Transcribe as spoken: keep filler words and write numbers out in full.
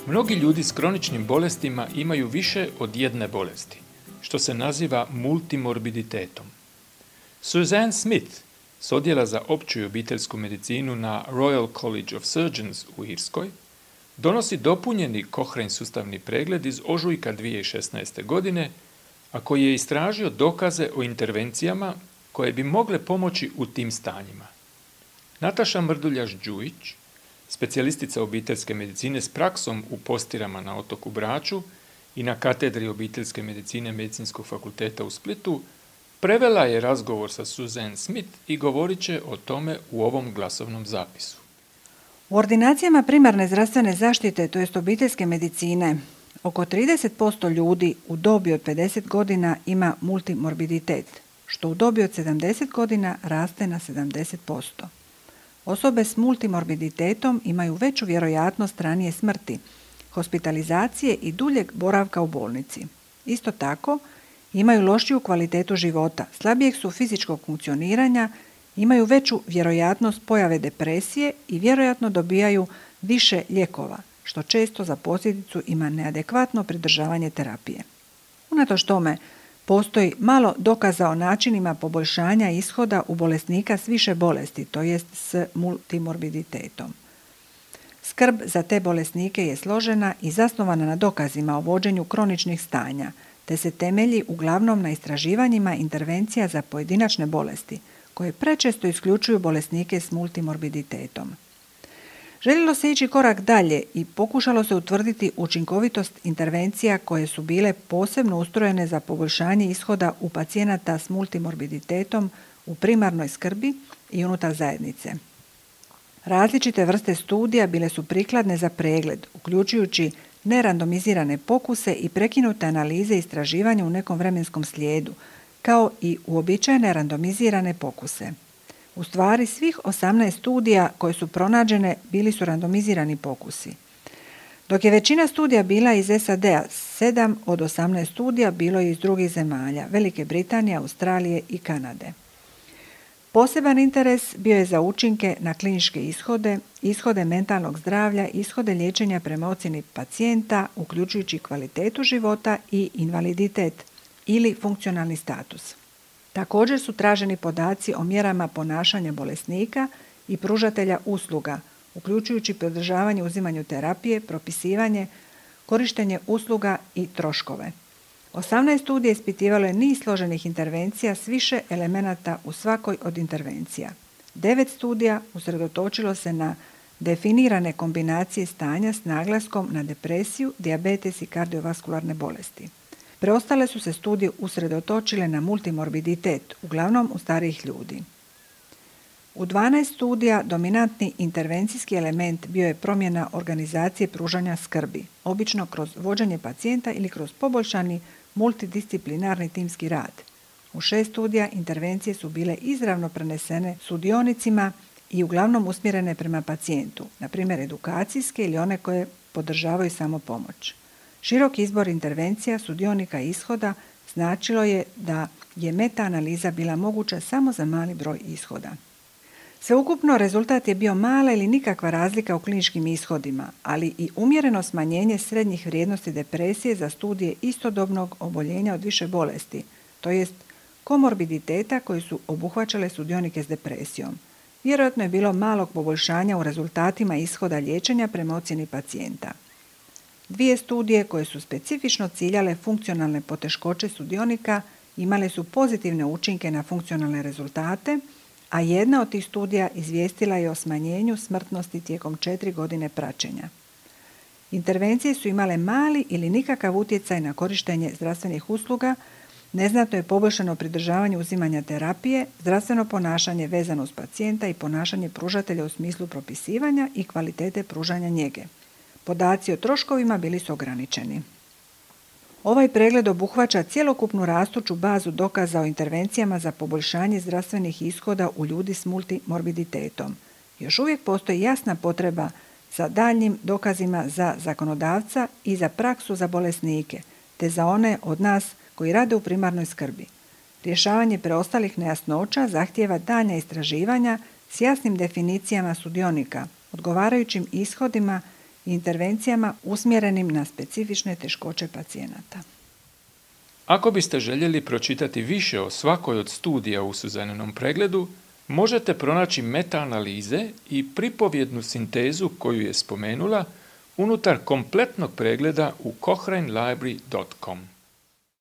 Mnogi ljudi s kroničnim bolestima imaju više od jedne bolesti, što se naziva multimorbiditetom. Suzanne Smith s odjela za opću i obiteljsku medicinu na Royal College of Surgeons u Irskoj donosi dopunjeni Cochrane sustavni pregled iz ožujka dvije tisuće šesnaeste. godine, a koji je istražio dokaze o intervencijama koje bi mogle pomoći u tim stanjima. Nataša Mrduljaš-Đujić, specijalistica obiteljske medicine s praksom u Postirama na otoku Braču i na katedri obiteljske medicine Medicinskog fakulteta u Splitu, prevela je razgovor sa Suzanne Smith i govorit će o tome u ovom glasovnom zapisu. U ordinacijama primarne zdravstvene zaštite, to jest obiteljske medicine, oko trideset posto ljudi u dobi od pedeset godina ima multimorbiditet, što u dobi od sedamdeset godina raste na sedamdeset posto. Osobe s multimorbiditetom imaju veću vjerojatnost ranije smrti, hospitalizacije i duljeg boravka u bolnici. Isto tako, imaju lošiju kvalitetu života, slabijeg su fizičkog funkcioniranja, imaju veću vjerojatnost pojave depresije i vjerojatno dobijaju više lijekova, što često za posljedicu ima neadekvatno pridržavanje terapije. Unatoč tome, postoji malo dokaza o načinima poboljšanja ishoda u bolesnika s više bolesti, to jest s multimorbiditetom. Skrb za te bolesnike je složena i zasnovana na dokazima o vođenju kroničnih stanja, te se temelji uglavnom na istraživanjima intervencija za pojedinačne bolesti, koje prečesto isključuju bolesnike s multimorbiditetom. Željelo se ići korak dalje i pokušalo se utvrditi učinkovitost intervencija koje su bile posebno ustrojene za poboljšanje ishoda u pacijenata s multimorbiditetom u primarnoj skrbi i unutar zajednice. Različite vrste studija bile su prikladne za pregled, uključujući nerandomizirane pokuse i prekinute analize istraživanja u nekom vremenskom slijedu, kao i uobičajene randomizirane pokuse. U stvari, svih osamnaest studija koje su pronađene bili su randomizirani pokusi. Dok je većina studija bila iz S A D-a, sedam od osamnaest studija bilo je iz drugih zemalja, Velike Britanije, Australije i Kanade. Poseban interes bio je za učinke na kliničke ishode, ishode mentalnog zdravlja, ishode liječenja prema ocjeni pacijenta, uključujući kvalitetu života i invaliditet ili funkcionalni status. Također su traženi podaci o mjerama ponašanja bolesnika i pružatelja usluga, uključujući pridržavanje uzimanju terapije, propisivanje, korištenje usluga i troškove. osamnaest studija ispitivalo je niz složenih intervencija s više elemenata u svakoj od intervencija. devet studija usredotočilo se na definirane kombinacije stanja s naglaskom na depresiju, dijabetes i kardiovaskularne bolesti. Preostale su se studije usredotočile na multimorbiditet, uglavnom u starijih ljudi. U dvanaest studija dominantni intervencijski element bio je promjena organizacije pružanja skrbi, obično kroz vođenje pacijenta ili kroz poboljšani multidisciplinarni timski rad. U šest studija intervencije su bile izravno prenesene sudionicima i uglavnom usmjerene prema pacijentu, na primjer edukacijske ili one koje podržavaju samopomoć. Širok izbor intervencija sudionika ishoda značilo je da je meta-analiza bila moguća samo za mali broj ishoda. Sveukupno rezultat je bio mala ili nikakva razlika u kliničkim ishodima, ali i umjereno smanjenje srednjih vrijednosti depresije za studije istodobnog oboljenja od više bolesti, to jest komorbiditeta koji su obuhvaćale sudionike s depresijom. Vjerojatno je bilo malog poboljšanja u rezultatima ishoda liječenja prema ocjeni pacijenta. Dvije studije koje su specifično ciljale funkcionalne poteškoće sudionika imale su pozitivne učinke na funkcionalne rezultate, a jedna od tih studija izvijestila je o smanjenju smrtnosti tijekom četiri godine praćenja. Intervencije su imale mali ili nikakav utjecaj na korištenje zdravstvenih usluga, neznatno je poboljšano pridržavanje uzimanja terapije, zdravstveno ponašanje vezano uz pacijenta i ponašanje pružatelja u smislu propisivanja i kvalitete pružanja njege. Podaci o troškovima bili su ograničeni. Ovaj pregled obuhvaća cjelokupnu rastuću bazu dokaza o intervencijama za poboljšanje zdravstvenih ishoda u ljudi s multimorbiditetom. Još uvijek postoji jasna potreba za daljnjim dokazima za zakonodavca i za praksu za bolesnike, te za one od nas koji rade u primarnoj skrbi. Rješavanje preostalih nejasnoća zahtijeva daljnja istraživanja s jasnim definicijama sudionika, odgovarajućim ishodima i intervencijama usmjerenim na specifične teškoće pacijenata. Ako biste željeli pročitati više o svakoj od studija u Suzaninom pregledu, možete pronaći meta-analize i pripovjednu sintezu koju je spomenula unutar kompletnog pregleda u cochrane library dot com.